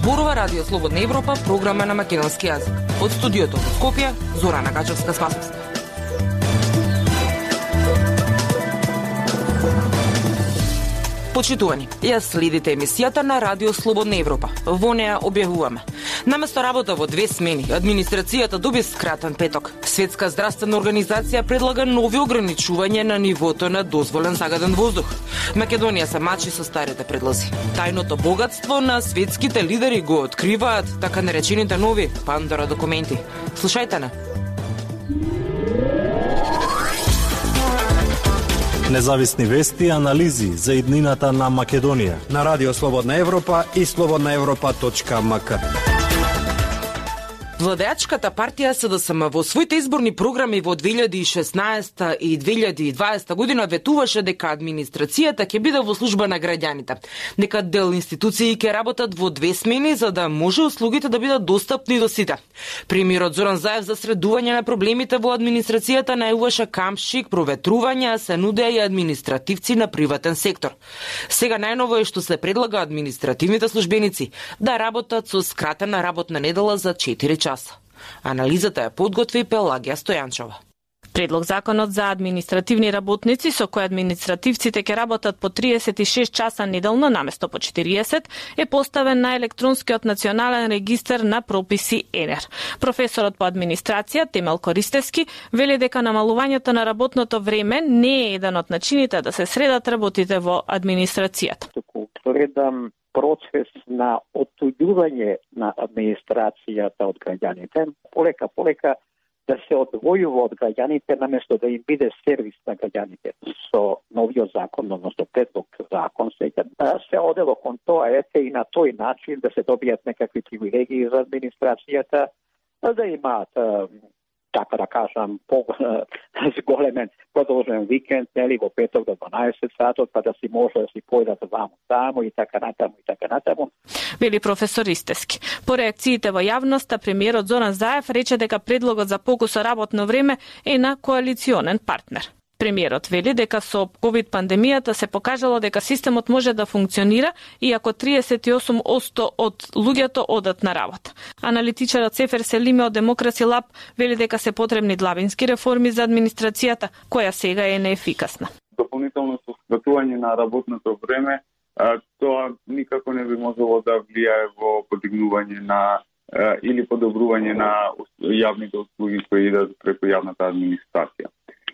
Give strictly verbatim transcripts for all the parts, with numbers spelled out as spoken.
Зборува Радио Слободна Европа, програма на македонски јазик. Од студиото во Скопје, Зорана Гачевска-Спасовска. Почитувани, ја следите емисијата на Радио Слободна Европа. Во неа објавуваме: наместо работа во две смени, администрацијата доби скратен петок. Светска здравствена организација предлага нови ограничувања на нивото на дозволен загаден воздух. Македонија се мачи со старите предлози. Тајното богатство на светските лидери го откриваат така наречените нови Пандора документи. Слушајте на. Независни вести и анализи за иднината на Македонија на Радио Слободна Европа и слободна европа точка ем ка. Владеачката партија С Д С М во своите изборни програми во две илјади и шеснаесета и две илјади и дваесета година ветуваше дека администрацијата ќе биде во служба на граѓаните, дека дел институции ќе работат во две смени за да може услугите да бидат достапни до сите. Премиерот Зоран Заев за средување на проблемите во администрацијата најавуваше камшик, проветрувања, се нудеа и административци на приватен сектор. Сега најново е што се предлага административните службеници да работат со скратена работна недела за четири часа. Анализата ја подготви Пелагија Стојанчова. Предлог законот за административни работници со кој административците ќе работат по триесет и шест часа неделно наместо по четириесет е поставен на електронскиот национален регистар на прописи ЕНЕР. Професорот по администрација Темел Користевски вели дека намалувањето на работното време не е еден од начините да се средат работите во администрацијата. Туку гледам процес на оттуѓување на администрацијата од граѓаните, полека полека да се одвојува од граѓаните наместо да им биде сервис на граѓаните. Со новиот закон, односно предлог закон, сега се одело кон тоа, ете и на тој начин да се добијат некакви привилегии за администрацијата, да имаат, така да кажам, по-зголемен продолжен викенд, нели, во петок до дванаесет сатот, па да си може да си појдат ваму таму и така натаму и така натаму. Вели професор Истевски. По реакциите во јавноста, премиерот Зоран Заев рече дека предлогот за покусо работно време е на коалиционен партнер. Премиерот вели дека со ковид пандемијата се покажало дека системот може да функционира иако триесет и осум одсто од луѓето одат на работа. Аналитичарот Сефер Селиме од Демокраси Лаб вели дека се потребни длабински реформи за администрацијата, која сега е неефикасна. Дополнително скратување на работното време, тоа никако не би можело да влијае во подигнување на или подобрување на јавните услуги кои идат преку јавната администрација.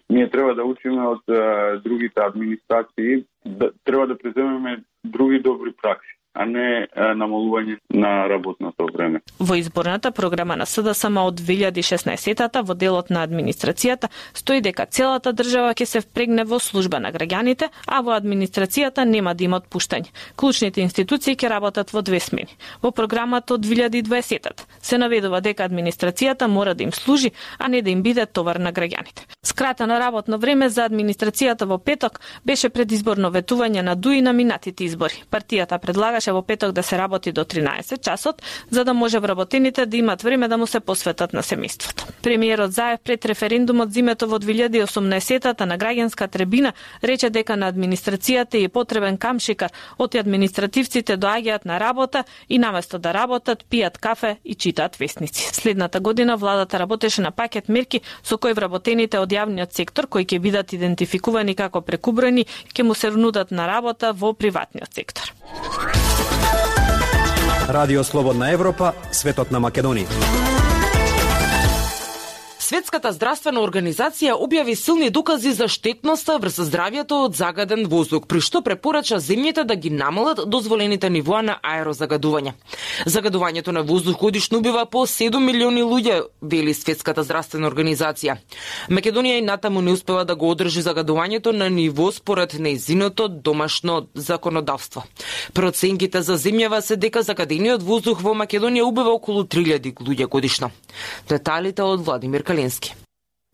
Ние треба да учиме од uh, другите администрации, да, треба да преземеме други добри пракси, а не uh, намалување на работното време. Во изборната програма на С Д С М од две илјади и шеснаесета во делот на администрацијата стои дека целата држава ќе се впрегне во служба на граѓаните, а во администрацијата нема да има отпуштање. Клучните институции ќе работат во две смени. Во програмата од две илјади и дваесета се наведува дека администрацијата мора да им служи, а не да им биде товар на граѓаните. Скратено работно време за администрацијата во петок беше предизборно ветување на ДУИ на минатите избори. Партијата предлагаше во петок да се работи до тринаесет часот, за да може вработените да имат време да му се посветат на семејството. Премиерот Заев пред референдумот зимето во две илјади и осумнаесета на граѓанска трибина рече дека на администрацијата е потребен камшикар, оти административците доаѓаат на работа и наместо да работат, пијат кафе и читаат весници. Следната година владата работеше на пакет мерки со кои вработените од јавниот сектор кои ќе бидат идентификувани како прекубројни ќе му се нудат на работа во приватниот сектор. Радио Слободна Европа, светот на Македонија. Светската здравствена организација објави силни докази за штетноста врз здравјето од загаден воздух, при што препорача земјите да ги намалат дозволените нивоа на аерозагадување. Загадувањето на воздух годишно убива по седум милиони луѓе, вели Светската здравствена организација. Македонија и натаму не успева да го одржи загадувањето на ниво според нејзиното домашно законодавство. Проценките за земјава се дека загадениот воздух во Македонија убива околу три илјади луѓе годишно. Деталите од Владимир Калински.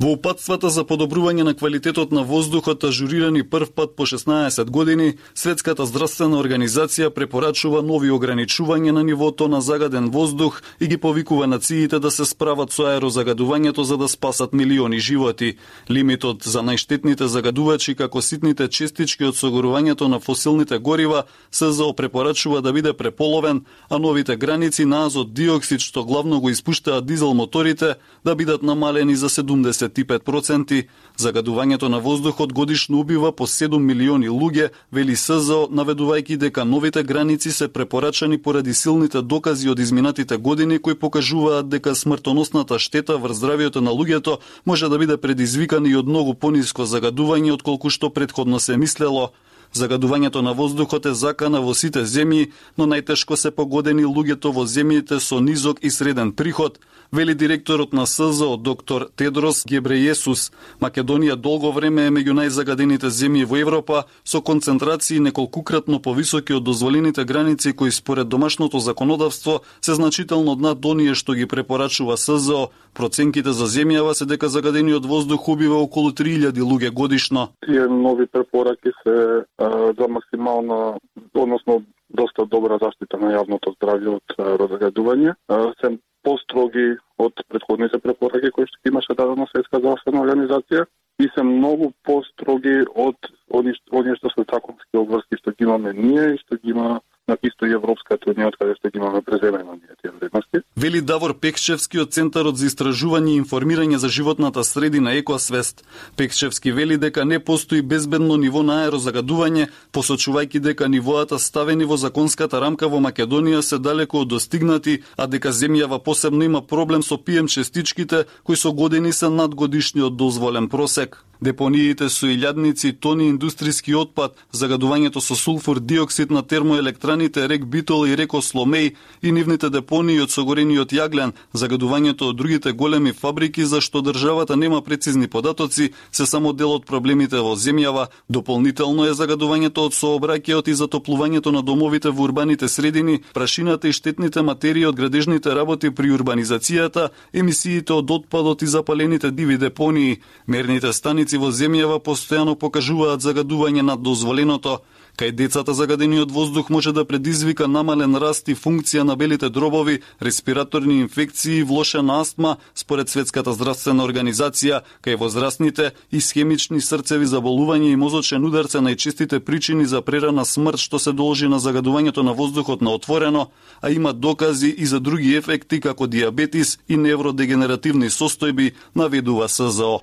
Во упатствата за подобрување на квалитетот на воздухот, ажурирани прв пат по шеснаесет години, Светската здравствена организација препорачува нови ограничувања на нивото на загаден воздух и ги повикува нациите да се справат со аерозагадувањето за да спасат милиони животи. Лимитот за најштетните загадувачи како ситните честички од согорувањето на фосилните горива СЗО препорачува да биде преполовен, а новите граници на азот диоксид што главно го испуштаат дизел моторите да бидат намалени за седумдесет и пет проценти. Загадувањето на воздухот годишно убива по седум милиони луѓе, вели СЗО, наведувајќи дека новите граници се препорачани поради силните докази од изминатите години кои покажуваат дека смртоносната штета врз здравието на луѓето може да биде предизвикана и од многу пониско загадување отколку што претходно се мислело. Загадувањето на воздухот е закана во сите земји, но најтешко се погодени луѓето во земјите со низок и среден приход, вели директорот на СЗО доктор Тедрос Гебрејесус. Македонија долго време е меѓу најзагадените земји во Европа, со концентрации неколкукратно повисоки од дозволените граници кои според домашното законодавство се значително над оние што ги препорачува СЗО. Проценките за земјава се дека загадениот воздух убива околу три илјади луѓе годишно. Тие нови препораки се а, за максимална, односно доста добра заштита на јавното здравје од разгадување. Се построги од претходните препораки кои што имаше дадена Светска здравствена организација и се многу построги од оние што се законски обврски што ги имаме ние и што ги има на исто и Европската унија, од каде што ги имаме преземено ние тие вредности. Вели Давор Пекчевски од Центарот за истражување и информирање за животната средина Екосвест. Пекчевски вели дека не постои безбедно ниво на аерозагадување, посочувајќи дека нивоата ставени во законската рамка во Македонија се далеко од достигнати, а дека земјава посебно има проблем со пи ем честичките кои со години се над годишниот дозволен просек. Депониите со илјадници тони индустријски отпад, загадувањето со сулфур диоксид на термоелектраните Рек Битол и Рек Осломеј и нивните депонии од согорениот јаглен, загадувањето од другите големи фабрики за што државата нема прецизни податоци, се само дел од проблемите во земјава. Дополнително е загадувањето од сообраќајот и затоплувањето на домовите во урбаните средини, прашината и штетните материи од градежните работи при урбанизацијата, емисиите од отпадот и запалените диви депонии. Мерните станици во земјава постојано покажуваат загадување над дозволеното. Кај децата загадениот воздух може да предизвика намален раст и функција на белите дробови, респираторни инфекции, влошена астма, според Светската здравствена организација. Кај возрастните исхемични срцеви заболувања и мозочен удар се најчестите причини за прерана смрт што се должи на загадувањето на воздухот на отворено, а има докази и за други ефекти како диабетис и невродегенеративни состојби, наведува СЗО.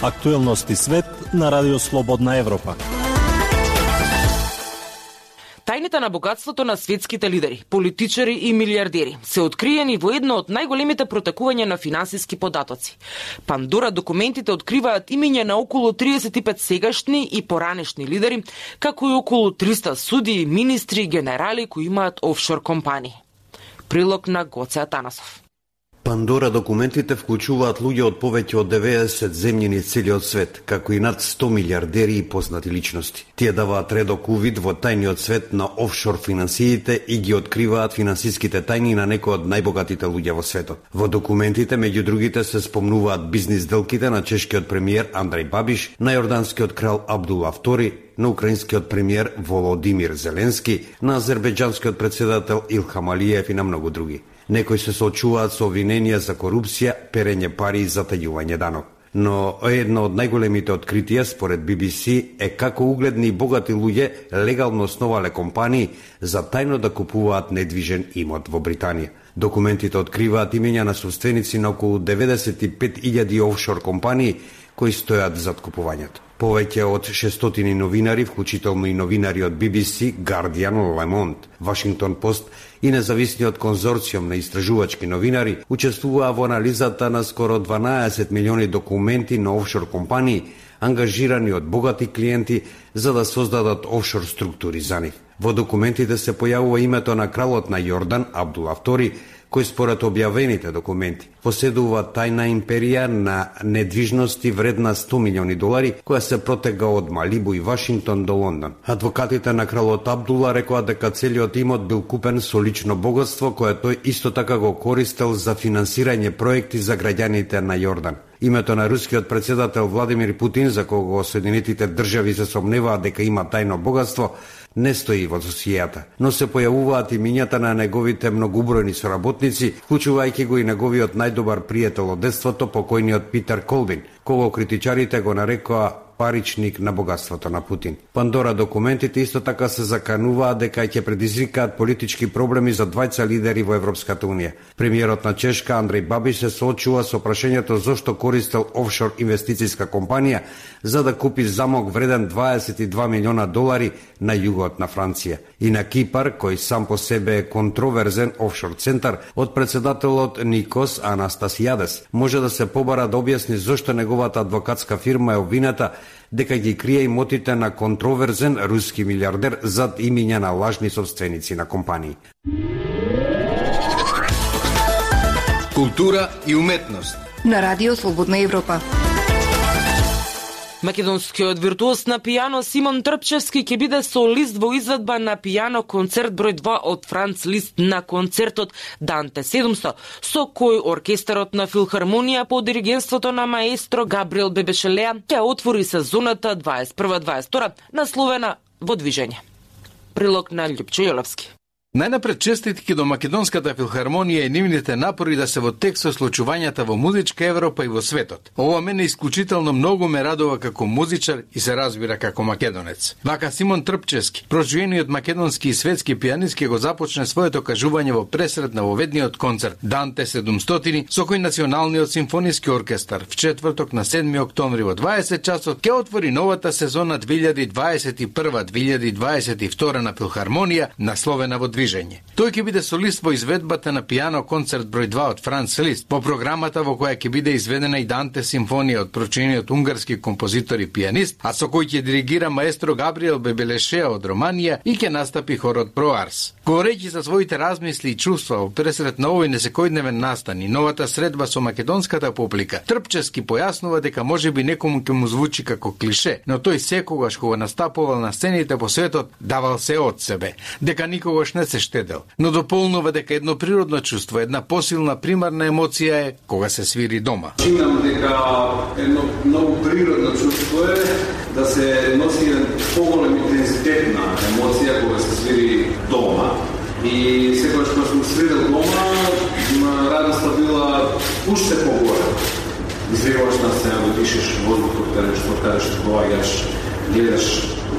Актуелности свет на Радио Слободна Европа. Тајните на богатството на светските лидери, политичари и милиардери се откриени во едно од најголемите протекувања на финансиски податоци. Пандора документите откриваат имиња на околу триесет и пет сегашни и поранешни лидери, како и околу триста судии, министри и генерали кои имаат офшор компании. Прилог на Гоце Атанасов. Пандора документите вклучуваат луѓе од повеќе од деветдесет земји низ целиот свет, како и над сто милиардери и познати личности. Тие даваат редок увид во тајниот свет на офшор финансиите и ги откриваат финансиските тајни на некои од најбогатите луѓе во светот. Во документите, меѓу другите, се спомнуваат бизнис делките на чешкиот премиер Андреј Бабиш, на јорданскиот крал Абдула Втори, на украинскиот премиер Володимир Зеленски, на азербејџанскиот председател Илхам Алиев и на многу други. Некои се соочуваат со обвиненија за корупција, перење пари и затајување данок. Но едно од најголемите откритија според би би си е како угледни и богати луѓе легално основале компании за тајно да купуваат недвижен имот во Британија. Документите откриваат имења на собственици на околу деветдесет и пет илјади офшор компании кои стојат зад купувањето. Повеќе од шестстотини новинари, вклучително и новинари од би би си, Guardian, Le Monde, Washington Post и независниот конзорциум на истражувачки новинари учествуваа во анализата на скоро дванаесет милиони документи на офшор компании, ангажирани од богати клиенти за да создадат офшор структури за нив. Во документите се појавува името на кралот на Јордан, Абдула Втори, кој според објавените документи поседува тајна империја на недвижности вредна сто милиони долари, која се протега од Малибу и Вашингтон до Лондон. Адвокатите на кралот Абдула рекоа дека целиот имот бил купен со лично богатство, кое тој исто така го користел за финансирање проекти за граѓаните на Јордан. Името на рускиот председател Владимир Путин, за кого Соединетите држави се сомневаат дека има тајно богатство, не стои во досијата, но се појавуваат имињата на неговите многубројни соработници, вклучувајќи го и неговиот најдобар пријател од детството, покојниот Питер Колбин, кого критичарите го нарекоа паричник на богатството на Путин. Пандора документите исто така се закануваат дека ќе предизвикаат политички проблеми за двајца лидери во Европската унија. Премиерот на Чешка Андреј Бабиш се соочува со прашањето зошто користел офшор инвестицијска компанија за да купи замок вреден дваесет и два милиона долари на југот на Франција. И на Кипар, кој сам по себе е контроверзен офшор центар, од председателот Никос Анастасијадес може да се побара да објасни зошто неговата адвокатска фирма е обвината дека ги крие имотите на контроверзен руски милиардер зад имиња на лажни собственици на компании. Култура и уметност на Радио Слободна Европа. Македонскиот виртуоз на пијано Симон Трпчевски ќе биде солист во изведба на пијано концерт број два од Франц Лист на концертот Данте седумсто, со кој оркестарот на Филхармонија под диригентството на маестро Габриел Бебешелеа ќе отвори сезоната дваесет и прва дваесет и втора насловена Во движење. Прилог на Љупчо Јолевски. Најнапред честитки до Македонската филхармонија и нивните напори да се во тек со случувањата во музичка Европа и во светот. Ова мене исклучително многу ме радува како музичар и се разбира како македонец. Вака Симон Трпчевски, проживениот македонски и светски пианист, ќе го започне своето кажување во пресред на воведниот концерт Данте седумсто, со кој Националниот симфониски оркестар в четврток на седми октомври во дваесет часот ќе отвори новата сезона две илјади дваесет и прва две илјади дваесет и втора на Филхармонија, насловена Во движење. Тој ќе биде солист во изведбата на пијано концерт број два од Франц Лист, по програмата во која ќе биде изведена и Данте симфонија од прочинениот унгарски композитор и пианист, а со кој ќе диригира маестро Габриел Бебелешеа од Романија и ќе настапи хорот Проарс. Говорејќи за своите размисли и чувства во пресред на овој несекојдневен настан и новата средба со македонската публика, Трпчевски појаснува дека можеби некому ќе му звучи како клише, но тој секогаш кога настапувал на сцените по светот давал се од себе, дека никогаш не се штедел, но дополнува дека едно природно чувство, една посилна примарна емоција е кога се свири дома. Чинам дека едно многу природно чувство е да се носи еден поголем интензитет на емоција кога се свири дома. И секогаш кога сум свирил дома, радоста била уште погоре. Излегуваш на сцена, да дишеш воздухот, каде што каде што доаѓаш, гледаш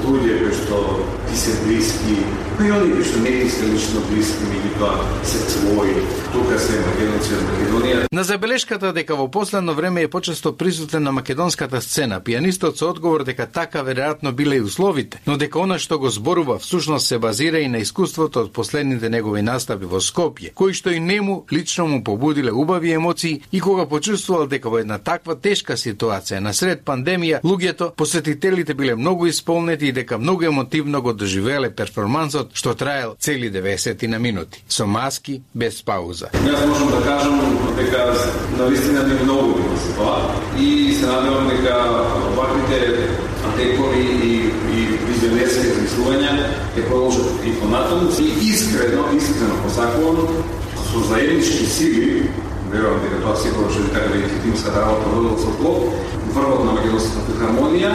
луѓе кои што ти се блиски, и они кои што не ти се лично блиски, меѓутоа се твои, тука се македонци од Македонија. На забелешката дека во последно време е почесто присутен на македонската сцена, пианистот со одговор дека така веројатно биле и условите, но дека она што го зборува всушност се базира и на искуството од последните негови настапи во Скопје, кои што и нему лично му побудиле убави емоции и кога почувствувал дека во една таква тешка ситуација насред пандемија, луѓето, посетителите биле многу исполнети и дека многу емотивно го доживееле перформансот што траел цели деветдесет на минути, со маски, без пауза. Јас можам да кажам дека навистина ми многу за тоа и се надевам дека ваквите декори и, и визионерски размислувања ќе продолжат и понатаму и искрено, искрено посакувам со заеднички сили, верувам дека тоа секогаш ќе така да е тимска работа водела со плод, врвот на Македонската филхармонија,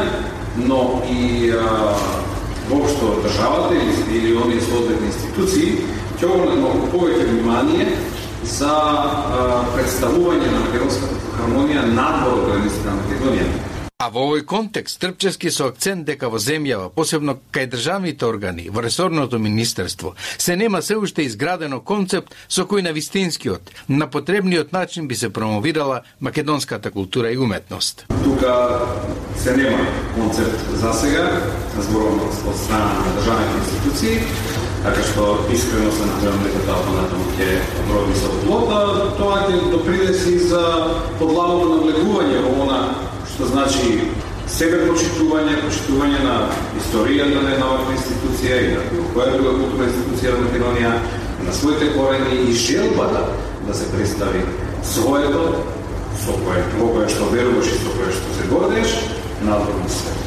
но и а, воопшто државата или, или оние соодветни институции ќе обрнат малку повеќе внимание за а, представување на Македонската филхармонија надвор од границите на Македонија. А во овој контекст Трпчевски со акцент дека во земјава, посебно кај државните органи, во ресорното министерство, се нема се уште изградено концепт со кој на вистинскиот, на потребниот начин би се промовирала македонската култура и уметност. Тука се нема концепт за сега, зборувам од страна на државните институции, така што искрено се надевам дека тоа понатаму ќе роди со плод, а тоа ќе допринеси за подлагано навлегување во она што значи себе почитување, почитување на историјата на една ваква институција и на која друга културна институција во Македонија, на своите корени и желбата да се представи своето, со кое, во кое што веруваш и со кое што се гордееш, надвор на свет.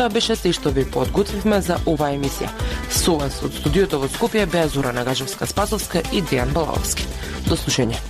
Тоа беше се што ви подготвивме за оваа емисија. Со вас од студиото во Скопје беа Зора Нагажевска-Спасовска и Дејан Балаловски. До слушање.